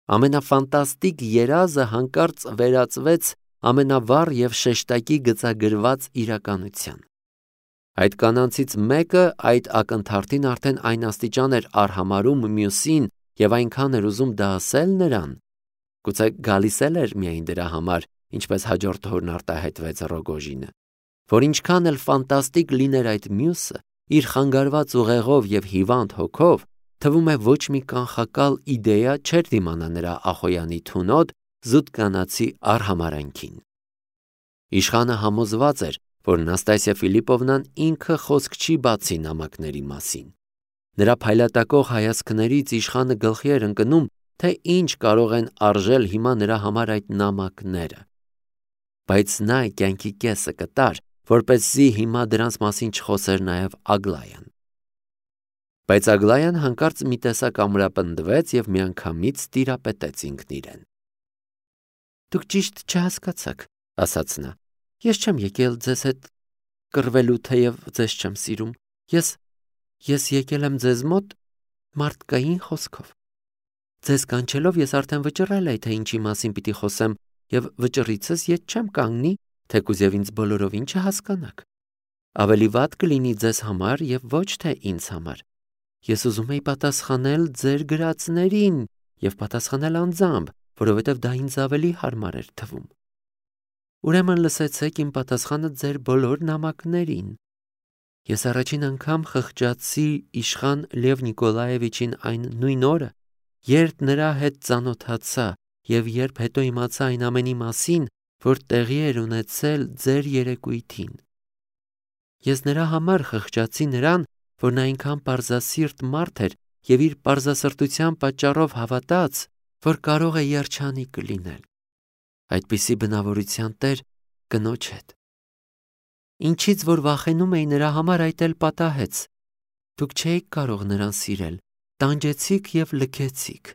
Ամենաֆանտաստիկ երազը հանկարծ վերածվեց ամենավառ և շեշտակի գծագրված իրականության։ Այդ կանանցից մեկը այդ ակնթարթին արդեն այն աստիճան էր արհամարհում մյուսին և այնքան էր ուզում դա ասել նրան, գուցե գալիս էլ էր միայն դրա համար, ինչպես հաջորդ օրն արտահայտվեց Ռոգոժինը, որ ինչքան էլ ֆանտաստիկ լիներ այդ մյուսը, իր խանգարված ուղեղով և հիվանդ հոգով, թվում է ոչ մի կանխակալ իդեա չէր դիմանա նրա Ախոյանի թունոտ, զուտ կանացի արհամարհանքին։ Իշխանը համոզված էր, որ Նաստասիա Ֆիլիպովնան ինքը խոսք չի բացի նամակների մասին։ Նրա փայլատակող հայացքներից իշխանը գլխի էր ընկնում, թե ինչ կարող են արժել հիմա նրա համար այդ նամակները։ Բայց նա կյանքի կեսը կտար, որպեսզի հիմա դրանց մասին չխոսեր նաև Ագլայան։ Բայց Ագլայան հանկարծ մի տեսակ ամրապնդվեց և միանգամից տիրապետեց ինքն իրեն։ «Դուք ճիշտ չհասկացաք», ասաց նա։ «Ես չեմ եկել ձեզ հետ կռվելու, թեև ձեզ չեմ սիրում։ Ես եկել եմ ձեզ մոտ մարդկային խոսքով։ Ձեզ կանչելով ես արդեն վճռել էի, թե ինչի մասին պիտի խոսեմ, և վճռիցս ետ չեմ կանգնի, թեկուզ և ինձ բոլորովին չհասկանաք։ Ավելի վատ կլինի ձեզ համար և ոչ թե ինձ համար։ Ես ուզում էի պատասխանել ձեր գրածներին և պատասխանել անձամբ, որովհետև դա ինձ ավելի հարմար էր թվում։ Ուրեմն լսեցեք իմ պատասխանը ձեր բոլոր նամակներին։ Ես առաջին անգամ խղճացի իշխան Լև Նիկոլաևիչին այն նույն օրը, երբ նրա հետ ծանոթացա և երբ հետո իմացա այն ամենի մասին, որ տեղի էր ունեցել ձեր երեկույթին։ Ես նրա համար խղճացի նրան, որ նա այնքան պարզասիրտ մարդ էր և իր պարզասրտության պատճառով հավատաց, որ կարող է երջանիկ լինել։ Այդպիսի բնավորության տեր կնոջ հետ։ Ինչից որ վախենում էի նրա համար, այդ էլ պատահեց։ Դուք չէիք կարող նրան սիրել, տանջեցիք և լքեցիք։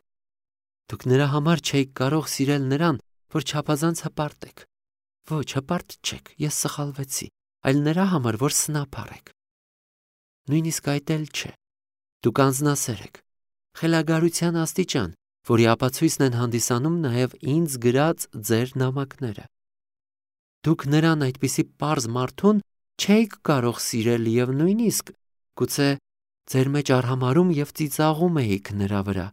Դուք նրա համար չէիք կարող սիրել նրան, որ չափազանց հպարտ եք։ Ոչ, հպարտ չեք, ես սխալվեցի, այլ նրա համար, որ սնափառ եք։ Նույնիսկ այդ էլ չէ։ Դուք անձնասեր եք, խելագարության աստիճան, որի ապացույցն են հանդիսանում նաև ինձ գրած ձեր նամակները։ Դուք նրան այդպիսի պարզ մարդուն չէիք կարող սիրել և նույնիսկ գուցե ձեր մեջ արհամարհում և ծիծաղում էիք նրա վրա։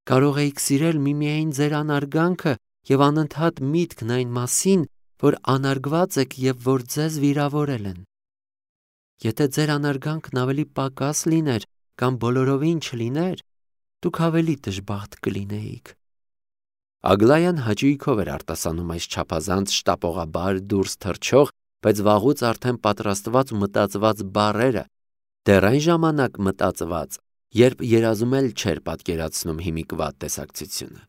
Կարող էիք սիրել միմիայն ձեր անարգանքը և անընդհատ միտքն այն մասին, որ անարգված եք և որ ձեզ վիրավորել են։ Եթե ձեր անարգանքն ավելի պակաս լիներ կամ բոլորովին չլիներ, դուք ավելի դժբախտ կլինեիք։ Ագլայան հաճույքով էր արտասանում այս չափազանց շտապողաբար դուրս թռչող, բայց վաղուց արդեն պատրաստված ու մտածված բառերը, դեռ այն ժամանակ մտածված, երբ երազում էլ չէր պատկերացնում հիմիկվատ տեսակցությունը։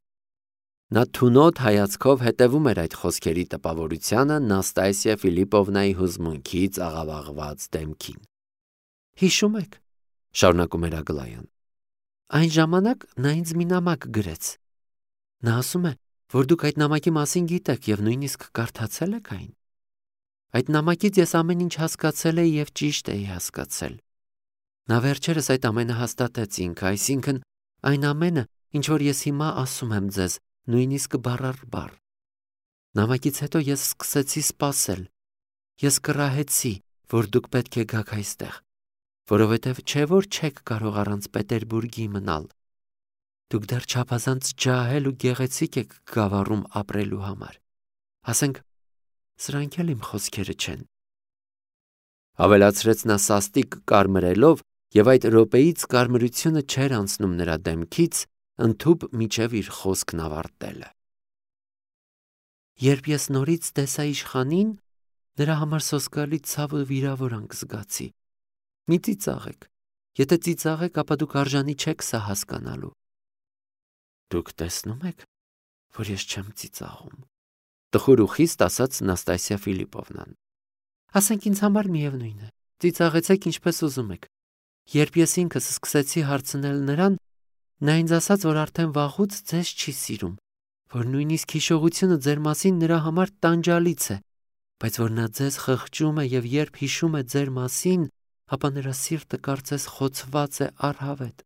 Նա թունոտ հայացքով հետևում էր այդ խոսքերի տպավորությանը Նաստասիա Ֆիլիպովնայի հուզմունքից աղավաղված դեմքին։ Հիշում եք, շարունակում էր Ագլայան, այն ժամանակ նա ինձ մի նամակ գրեց։ Նա ասում է, որ դուք այդ նամակի մասին գիտեք և նույնիսկ կարդացել եք այն։ Այդ նամակից ես ամեն ինչ հասկացել էի և ճիշտ էի հասկացել։ Նա վերջերս այդ ամենը հաստատեց ինքը, այսինքն այն ամենը, ինչ որ ես հիմա ասում եմ ձեզ, նույնիսկ բառ առ բառ։ Նամակից հետո ես սկսեցի սպասել։ Ես կռահեցի, որ դուք պետք է գաք այստեղ, որովհետև չէ որ չեք կարող առանց Պետերբուրգի մնալ։ Դուք դեռ չափազանց ջահել ու գեղեցիկ եք Գավառում ապրելու համար։ Ասենք, սրանք էլ իմ խոսքերը չեն։ Ավելացրեց նա սաստիկ կարմրելով, և այդ րոպեից կարմրությունը չէր անցնում նրա դեմքից, ընդհուպ մինչև իր խոսքն ավարտելը։ Երբ ես նորից տեսա իշխանին, նրա համար սոսկալի ցավ ու վիրավորանք զգացի։ Մի ծիծաղեք։ Եթե ծիծաղեք, ապա դուք արժանի չեք սա հասկանալու։ Դուք տեսնում եք, որ ես չեմ ծիծաղում, տխուր ու խիստ ասաց Նաստասիա Ֆիլիպովնան։ Ասենք ինձ համար միևնույն է, ծիծաղեցեք ինչպես ուզում եք։ Երբ ես ինքս սկսեցի հարցնել նրան, նա ինձ ասաց, որ արդեն վաղուց ձեզ չի սիրում, որ նույնիսկ հիշողությունը ձեր մասին նրա համար տանջալից է, բայց որ նա ձեզ խղճում է և երբ հիշում է ձեր մասին, ապա նրա սիրտը կարծես խոցված է առհավետ։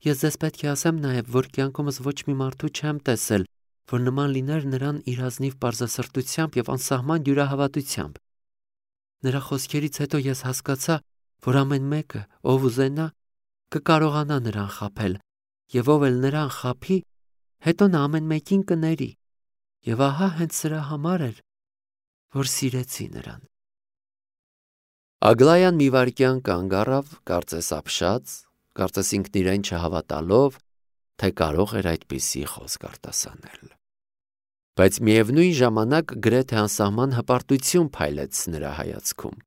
Ես ձեզ պետք է ասեմ նաև, որ կյանքումս ոչ մի մարդու չեմ տեսել, որ նման լիներ նրան իր ազնիվ պարզասրտությամբ և անսահման դյուրահավատությամբ։ Նրա խոսքերից հետո ես հասկացա, որ ամեն մեկը, ով ուզենա, կկարողանա նրան խաբել, և ով էլ նրան խաբի, հետո նա ամեն մեկին կների։ Եվ ահա հենց սրա համար էր, որ սիրեցի նրան։ Ագլայան մի վայրկյան կանգ առավ, կարծես ապշած, կարծես ինքն իրեն չհավատալով, թե կարող էր այդպիսի խոսք արտասանել։ Բայց միևնույն ժամանակ գրեթե անսահման հպարտություն փայլեց նրա հայացքում։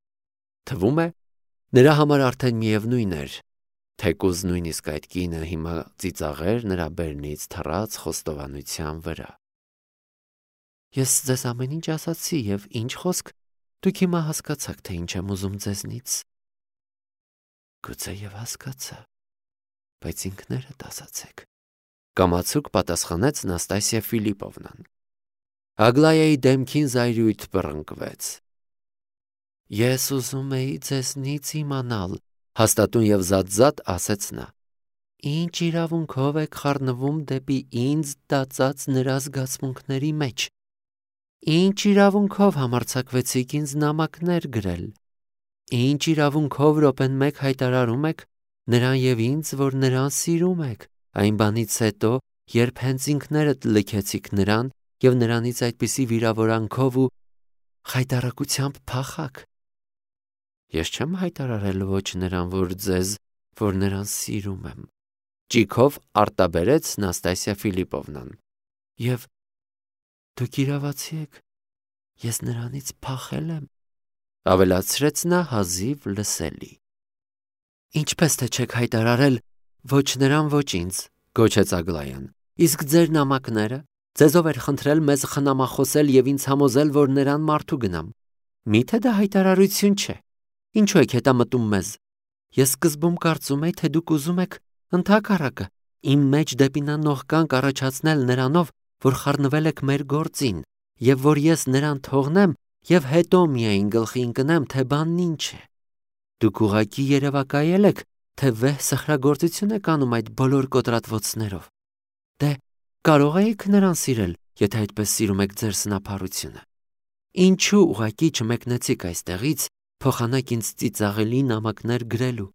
Թվում է, նրա համար արդեն միևնույն էր, թեկուզ նույնիսկ այդ կինը հիմա ծիծաղեր նրա բերնից թռած խոստովանության վրա։ Ես ձեզ ամեն ինչ ասացի, և ինչ խոսք, դուք հիմա հասկացաք, թե ինչ եմ ուզում ձեզնից։ Գուցե և հասկացա, բայց ինքներդ ասացեք, կամացուկ պատասխանեց Նաստասիա Ֆիլիպովնան։ Ագլայայի դեմքին զայրույթ բռնկվեց։ Ես ուզում էի ձեզնից իմանալ, հաստատուն և զատ ասեց նա։ Ինչ իրավունքով եք խառնվում դեպի ինձ տածած նրա զգացմունքների մեջ։ Ինչ իրավունքով համարձակվեցիք ինձ նամակներ գրել։ Ինչ իրավունքով րոպեն մեկ հայտարարում եք նրան և ինձ, որ նրան սիրում եք, այն բանից հետո, երբ հենց ինքներդ լքեցիք նրան և նրանից այդպիսի վիրավորանքով ու խայտառակությամբ փախաք։ Ես չեմ հայտարարել ոչ նրան, որ ձեզ, որ նրան սիրում եմ, ճիգով արտաբերեց Նաստասիա Ֆիլիպովնան։ Եվ դուք իրավացի եք, ես նրանից փախել եմ, ավելացրեց նա հազիվ լսելի։ Ինչպես թե չեք հայտարարել ոչ նրան, ոչ ինձ, գոչեց Ագլայան, իսկ ձեր նամակները, ձեզով էր խնդրել մեզ խնամախոսել և ինձ համոզել, որ նրան մարդու գնամ։ Միթե դա հայտարարություն չէ։ Ինչու եք հետամտում մեզ։ Ես սկզբում կարծում էի, թե դուք ուզում եք ընդհակառակը իմ մեջ դեպի նա նողկանք առաջացնել նրանով, որ խառնվել եք մեր գործին, և որ ես նրան թողնեմ և հետո միայն գլխի ընկնեմ, թե բանն ինչ է։ Դուք ուղղակի երևակայել եք, թե վեհ սխրագործություն եք անում այդ բոլոր կոտրատվոցներով։ Դե կարող էիք նրան սիրել, եթե այդպես սիրում եք ձեր սնափառությունը։ Ինչու ուղղակի չմեկնեցիք այստեղից, փոխանակ ինձ ծիծաղելի նամակներ գրելու։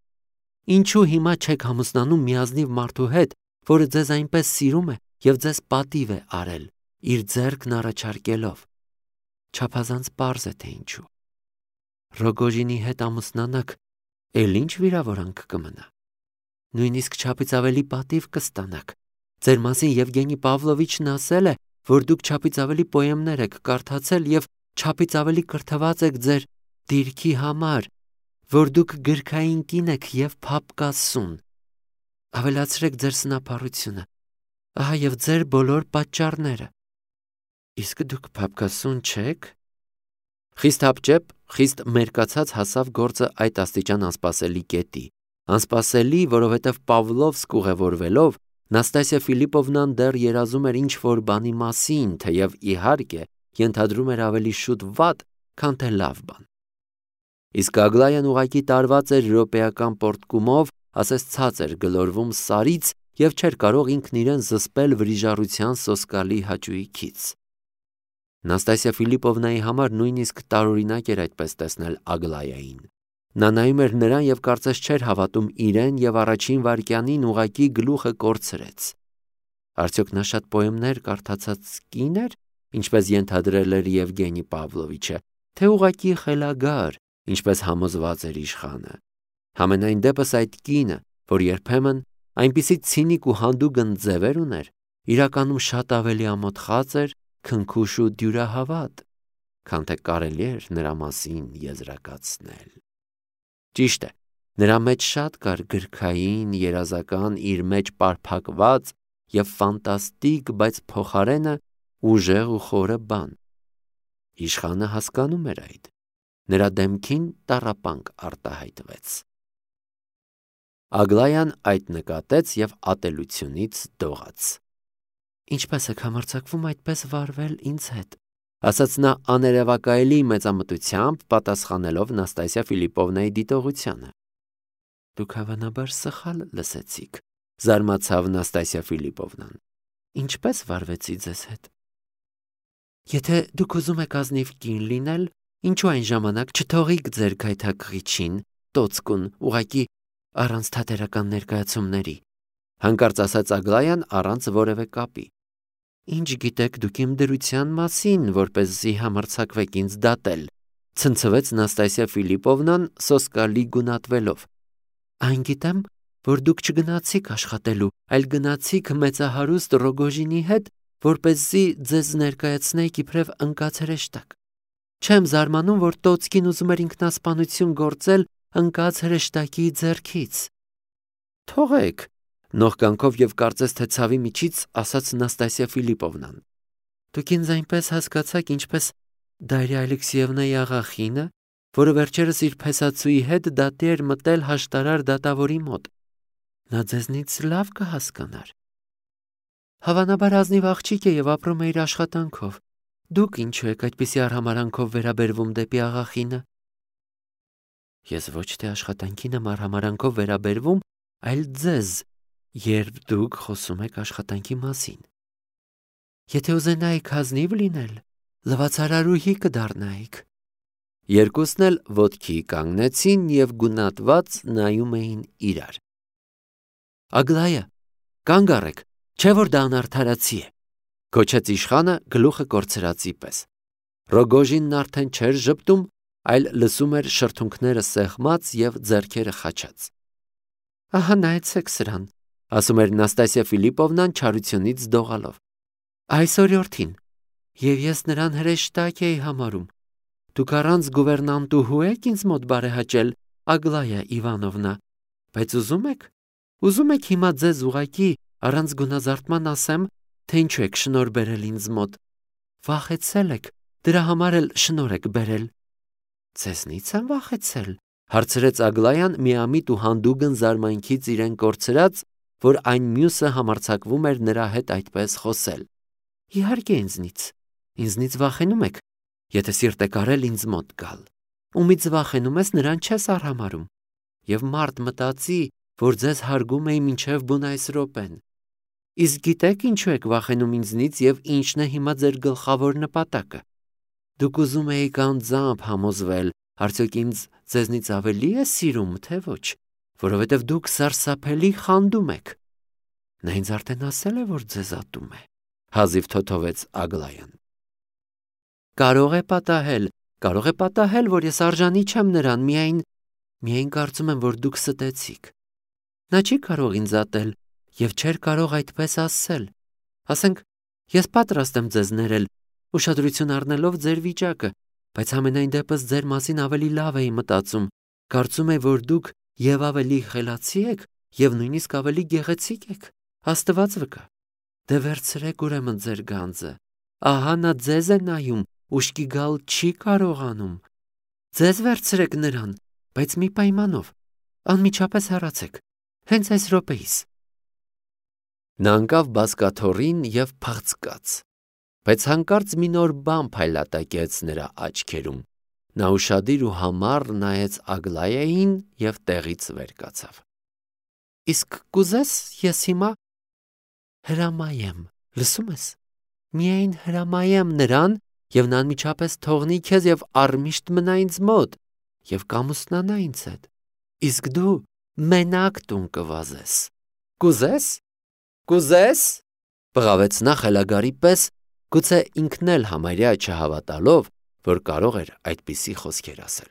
Ինչու հիմա չեք համոզնանում մի ազնիվ մարդու հետ, որը ձեզ այնպես սիրում է և ձեզ պատիվ է արել, իր ձեռքն առաջարկելով։ Չափազանց պարզ է, թե ինչու։ Ռոգոժինի հետ ամուսնանաք, էլ ինչ վիրավորանք կմնա։ Նույնիսկ չափից ավելի պատիվ կստանաք։ Ձեր մասին Եվգենի Պավլովիչն ասել է, որ դուք չափից ավելի պոեմներ եք կարդացել և չափից ավելի կրթված եք ձեր դիրքի համար, որ դուք գրքային կին եք և փափկասուն։ Ավելացրեք ձեր սնափառությունը, ահա և ձեր բոլոր պատճառները։ Իսկ դուք փափկասուն չեք։ Խիստ հապճեպ, խիստ մերկացած հասավ գործը այդ աստիճան անսպասելի կետի։ Անսպասելի, որովհետև Պավլովսկ ուղևորվելով, Նաստասիա Ֆիլիպովնան դեռ երազում էր ինչ-որ բանի մասին, թեև իհարկե ենթադրում էր ավելի շուտ վատ, քան թե լավ բան։ Իսկ Ագլայան ուղղակի տարված էր րոպեական պոռթկումով, ասես ցած էր գլորվում սարից և չէր կարող ինքն իրեն զսպել վրիժառության սոսկալի հաճույքից։ Նաստասիա Ֆիլիպովնայի համար նույնիսկ տարօրինակ էր այդպես տեսնել Ագլայային։ Նա նայում էր նրան և կարծես չէր հավատում իրեն և առաջին վայրկյանին ուղղակի գլուխը կորցրեց։ Արդյոք նա շատ պոեմներ կարդացած կին էր, ինչպես ենթադրել էր Եվգենի Պավլովիչը, թե ուղղակի խելագար, ինչպես համոզված էր իշխանը։ Համենայն դեպս այդ կինը, որ երբեմն այնպիսի ցինիկ ու հանդուգն ձևեր ուներ, իրականում շատ ավելի ամոթխած էր, քնքուշ ու դյուրահավատ, քան թե կարելի էր նրա մասին եզրակացնել։ Ճիշտ է, նրա մեջ շատ կար գրքային, երազական, իր մեջ պարփակված և ֆանտաստիկ, բայց փոխարենը ուժեղ ու խորը բան։ Իշխանը հասկանում էր այդ։ Նրա դեմքին տառապանք արտահայտվեց։ Ագլայան այդ նկատեց և ատելությունից դողաց։ Ինչպես եք համարձակվում այդպես վարվել ինձ հետ, ասաց նա աներևակայելի մեծամտությամբ, պատասխանելով Նաստասիա Ֆիլիպովնայի դիտողությանը։ Դուք հավանաբար սխալ լսեցիք, Զարմացավ Նաստասիա Ֆիլիպովնան։ Ինչպես վարվեցի ձեզ հետ։ Եթե դուք ուզում եք ազնիվ կին լինել, ինչու այն ժամանակ չթողիք ձեր գայթակղիչին, տոցկուն, ուղակի առանց թատերական ներկայացումների, հանկարծ ասաց Ագլայան առանց որևէ կապի։ Ինչ գիտեք դուք իմ դրության մասին, որպեսզի համարձակվեք ինձ դատել, ցնցվեց Նաստասիա Ֆիլիպովնան սոսկալի գունատվելով։ Այն գիտեմ, որ դուք չգնացիք աշխատելու, այլ գնացիք մեծահարուստ Ռոգոժինի հետ, որպեսզի ձեզ ներկայացնեիք իբրև ընկած հրեշտակ։ Չեմ զարմանում, որ Տոցկին ուզում էր ինքնասպանություն գործել ընկած հրեշտակի ձեռքից։ Թողեք, նողկանքով եւ կարծես թե ցավի միջից ասաց Նաստասիա Ֆիլիպովնան։ Դուք ինձ այնպես հասկացաք, ինչպես Դարիա Ալեքսեևնայի աղախինը, որը վերջերս իր փեսացուի հետ դատի էր մտել հաշտարար դատավորի մոտ։ Նա ձեզնից լավ կհասկանար։ Հավանաբար ազնիվ աղջիկ է եւ ապրում է իր աշխատանքով։ Դուք ինչու եք այդպիսի արհամարանքով վերաբերվում դեպի աղախինը։ Ես ոչ թե աշխատանքին եմ արհամարանքով վերաբերվում, այլ ձեզ, երբ դուք խոսում եք աշխատանքի մասին։ Եթե ուզենայիք ազնիվ լինել, լվացարարուհի կդառնայիք։ Երկուսն էլ ոտքի կանգնեցին եւ գունատված նայում էին իրար։ Ագլայա, կանգ առեք, չէ որ դա անարդարացի է, գոչեց իշխանը գլուխը կորցրածի պես։ Ռոգոժինն արդեն չէր ժպտում, այլ լսում էր շրթունքները սեղմած եւ ձեռքերը խաչած։ Ահա նայեցեք սրան, ասում էր Նաստասիա Ֆիլիպովնան չարությունից դողալով։ Այս օրիորդին, եւ ես նրան հրեշտակ էի համարում։ Դուք առանց գուվերնանտուհու եք ինձ մոտ բարեհաճել, Ագլայա Իվանովնա, բայց ուզում եք հիմա ձեզ ուղակի առանց գունազարդման ասեմ, թե ինչու եք շնոր բերել ինձ մոտ։ Վախեցել եք, դրա համար էլ շնոր եք բերել։ Ձեզնից եմ վախեցել, հարցրեց Ագլայան միամիտ ու հանդուգն զարմանքից իրեն կորցրած, որ այն մյուսը համարձակվում էր նրա հետ այդպես խոսել։ Իհարկե ինձնից վախենում եք, եթե սիրտ եք արել ինձ մոտ գալ։ Ումից վախենում ես, նրան չես արհամարում։ Եվ մարդ մտածի, որ ձեզ հարգում էի մինչև բուն այս րոպեն։ Իսկ գիտեք ինչու եք վախենում ինձնից եւ ինչն է հիմա ձեր գլխավոր նպատակը։ Դուք ուզում եք անձամբ համոզվել, արդյոք ինձ ձեզնից ավելի է սիրում, թե ոչ, որովհետև դուք սարսափելի խանդում եք։ Նա ինձ արդեն ասել է, որ ձեզ ատում է, հազիվ թոթովեց Ագլայան։ Կարող է պատահել, որ ես արժանի չեմ նրան, միայն կարծում եմ, որ դուք ստեցիք։ Նա չի կարող ինձ ատել եւ չէր կարող այդպես ասել։ Ասենք, ես պատրաստ եմ ձեզ ներել, ուշադրություն առնելով ձեր վիճակը, բայց համենայն դեպս ձեր մասին ավելի լավ էի մտածում։ Կարծում եմ, որ դուք եւ ավելի խելացի եք եւ նույնիսկ ավելի գեղեցիկ եք։ Աստված վկա։ Դե վերցրեք ուրեմն ձեր գանձը։ Ահա նա ձեզ է նայում, ուշքի գալ չի կարողանում։ Ձեզ վերցրեք նրան, բայց մի պայմանով։ Անմիջապես հեռացեք։ Հենց այս րոպեիս։ Նա ընկավ բազկաթոռին եւ փախցկաց, բայց հանկարծ մի նոր բան փայլատակեց նրա աչքերում։ Նա ուշադիր ու համառ նայեց Ագլայային եւ տեղից վեր կացավ։ Իսկ կուզես ես հիմա հրամայեմ, լսում ես։ Միայն հրամայեմ նրան եւ նա անմիջապես թողնի քեզ եւ առմիշտ մնա ինձ մոտ եւ կամուսնանա ինձ հետ։ Իսկ դու մենակ տուն կվազես։ Կուզես։ Բղավեց նա խելագարի պես, գուցե ինքն էլ համարյա չհավատալով, որ կարող էր այդպիսի խոսքեր ասել։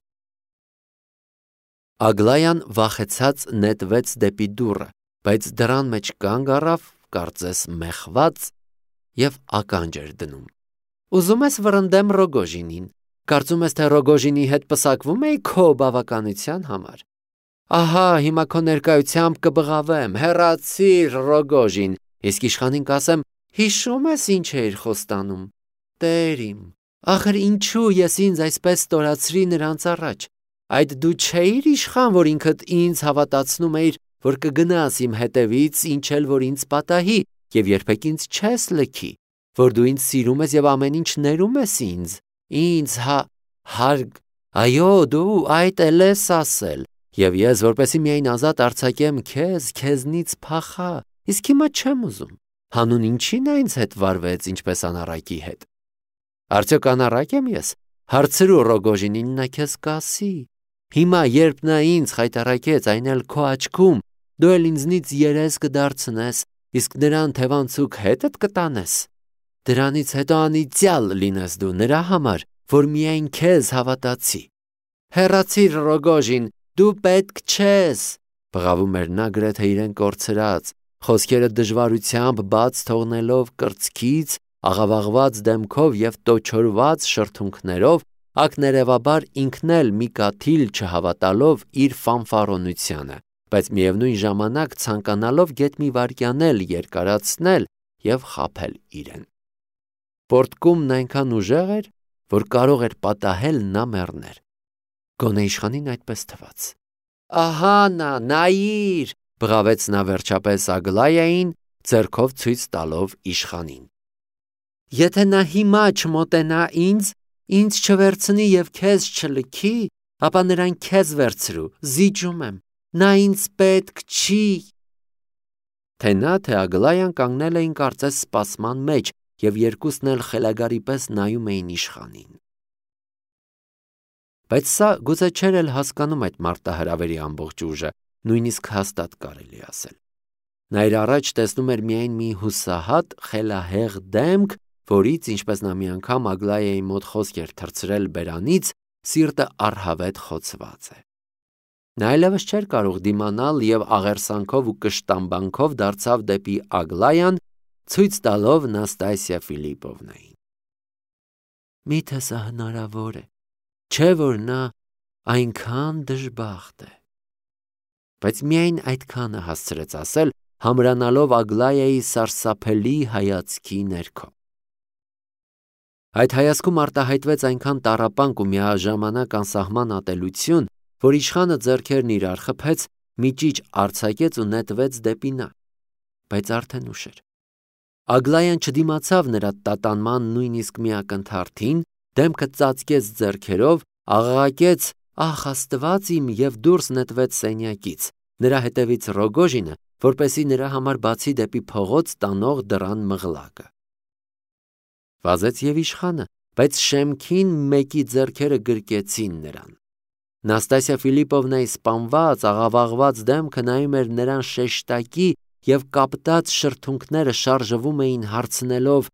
Ագլայան վախեցած նետվեց դեպի դուռը, բայց դռան մեջ կանգ առավ, կարծես մեղված եւ ականջ էր դնում։ Ուզում ես վռնդեմ Ռոգոժինին։ Կարծում ես, թե Ռոգոժինի հետ պսակվում էի քո բավականության համար։ Ահա, հիմա քո ներկայությամբ կբղավեմ, հեռացիր Ռոգոժին, իսկ իշխանին կասեմ, հիշում ես ինչ էիր խոստանում։ Տեր իմ, ախր ինչու ես ինձ այսպես ստորացրի նրանց առաջ։ Այդ դու չէիր իշխան, որ ինքդ ինձ հավատացնում էիր, որ կգնաս իմ հետևից, ինչ էլ որ ինձ պատահի, եւ երբեք ինձ չես լքի, որ դու ինձ սիրում ես եւ ամեն ինչ ներում ես ինձ, հարգ, այո, դու այդ էլ ես ասել, Եվ ես, որպեսզի միայն ազատ արձակեմ քեզ, քեզնից փախա, իսկ հիմա չեմ ուզում։ Հանուն ինչի՞ն ինձ հետ վարվեց, ինչպես անառակի հետ։ Արդյոք անառակ եմ ես։ Հարցրու Ռոգոժինին, նա քեզ կասի։ Հիմա, երբ նա ինձ խայտառակեց, այն էլ քո աչքում, դու էլ ինձնից երես կդարձնես, իսկ նրան թևանցուկ հետդ կտանես։ Դրանից հետո անիծյալ լինես դու նրա համար, որ միայն քեզ հավատացի։ Հեռացիր, Ռոգոժին, դու պետք չես, բղավում էր նա գրեթե իրեն կորցրած, խոսքերը դժվարությամբ բաց թողնելով կրծքից, աղավաղված դեմքով և տոչորված շրթունքներով, ակներևաբար ինքն էլ մի կաթիլ չհավատալով իր ֆանֆարոնությանը, բայց միևնույն ժամանակ ցանկանալով գեթ մի վայրկյան էլ երկարացնել և խաբել իրեն։ Պորտկումն այնքան ուժեղ էր, որ կարող էր պատահել նա մեռներ։ Գոնե իշխանին այդպես թվաց։ Ահա նա, նայիր, բղավեց նա վերջապես Ագլայային, ձեռքով ցույց տալով իշխանին։ Եթե նա հիմա չմոտենա ինձ չվերցնի և քեզ չլքի, ապա նրան քեզ վերցրու, զիջում եմ, նա ինձ պետք չի։ Թե նա, թե Ագլայան կանգնել էին կարծես սպասման մեջ և երկուսն էլ խելագարի պես նայում էին իշխանին։ Բայց սա գուցե չէր էլ հասկանում այդ մարտահրավերի ամբողջ ուժը, նույնիսկ հաստատ կարելի ասել։ Նա իր առաջ տեսնում էր միայն մի հուսահատ, խելահեղ դեմք, որից, ինչպես նա մի անգամ Ագլայայի մոտ խոսք էր թռցրել բերանից, սիրտը առհավետ խոցված է։ Նա այլևս չէր կարող դիմանալ և աղերսանքով ու կշտամբանքով դարձավ դեպի Ագլայան, ցույց տալով Նաստասիա Ֆիլիպովնային։ Միթե սա հնարավոր է, չէ՞ որ նա այնքան դժբախտ է։ Բայց միայն այդքանը հասցրեց ասել, համրանալով Ագլայայի սարսափելի հայացքի ներքո։ Այդ հայացքում արտահայտվեց այնքան տառապանք ու միաժամանակ անսահման ատելություն, որ իշխանը ձեռքերն իրար խփեց, մի ճիչ արձակեց ու նետվեց դեպի նա, բայց արդեն ուշ էր։ Ագլայան չդիմացավ նրա տատանման նույնիսկ մի ակնթարթին, դեմքը ծածկեց ձեռքերով, աղաղակեց «Ախ Աստված իմ» և դուրս նետվեց սենյակից, նրա հետևից Ռոգոժինը, որպեսզի նրա համար բացի դեպի փողոց տանող դռան մղլակը։ Վազեց և իշխանը, բայց շեմքին մեկի ձեռքերը գրկեցին նրան։ Նաստասիա Ֆիլիպովնայի սպանված, աղավաղված դեմքը նայում էր նրան շեշտակի և կապտած շրթունքները շարժվում էին հարցնելով.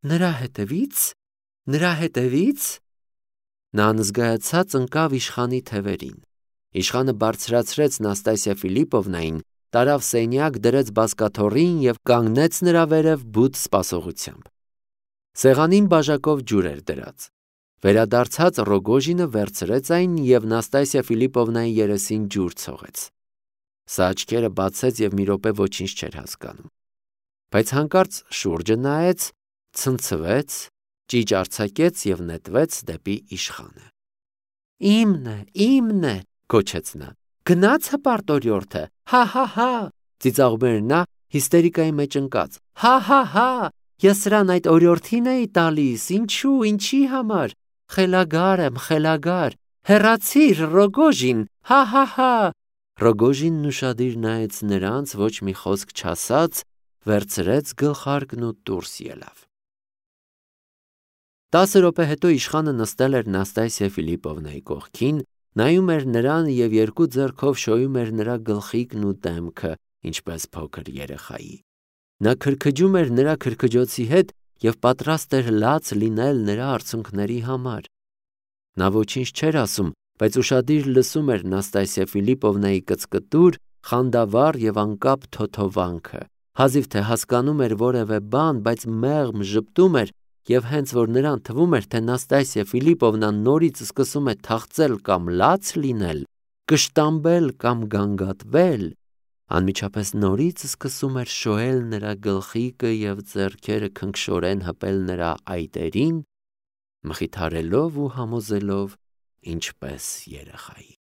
Նրա հետևի՞ց։ Նրա հետևի՞ց։ Նա անզգայացած ընկավ իշխանի թևերին։ Իշխանը բարձրացրեց Նաստասիա Ֆիլիպովնային, տարավ սենյակ, դրեց բազկաթոռին և կանգնեց նրա վերև բութ սպասողությամբ։ Սեղանին բաժակով ջուր էր դրած։ Վերադարձած Ռոգոժինը վերցրեց այն և Նաստասիա Ֆիլիպովնայի երեսին ջուր ցողեց։ Սա աչքերը բացեց և մի րոպե ոչինչ չէր հասկանում։ Բայց հանկարծ շուրջը նայեց, ցնցվեց, ճիչ արձակեց և նետվեց դեպի իշխանը։ Իմն է, գոչեց նա։ Գնաց հպարտ օրիորդը, հա, ծիծաղում էր նա հիստերիկայի մեջ ընկած։ Հա, ես սրան այդ օրիորդին էի տալիս, ինչու, ինչի համար։ Խելագար եմ, խելագար։ Հեռացիր, Ռոգոժին, հա։ Ռոգոժինն ուշադիր նայեց նրանց, ոչ մի խոսք չասաց, վերցրեց գլխարկն ու դուրս ելավ։ 10 րոպե հետո իշխանը նստել էր Նաստասիա Ֆիլիպովնայի կողքին, նայում էր նրան և երկու ձեռքով շոյում էր նրա գլխիկն ու դեմքը, ինչպես փոքր երեխայի։ Նա քրքջում էր նրա քրքջոցի հետ և պատրաստ էր լաց լինել նրա արցունքների համար։ Նա ոչինչ չէր ասում, բայց ուշադիր լսում էր Նաստասիա Ֆիլիպովնայի կծկտուր, խանդավառ և անկապ թոթովանքը, հազիվ թե հասկանում էր որևէ բան, բայց մեղմ ժպտում էր, և հենց որ նրան թվում էր, թե Նաստասիա Ֆիլիպովնան նորից սկսում է թախծել կամ լաց լինել, կշտամբել կամ գանգատվել, անմիջապես նորից սկսում էր շոյել նրա գլխիկը և ձեռքերը քնքշորեն հպել նրա այտերին, մխիթարելով ու համոզելով ինչպես երեխայի։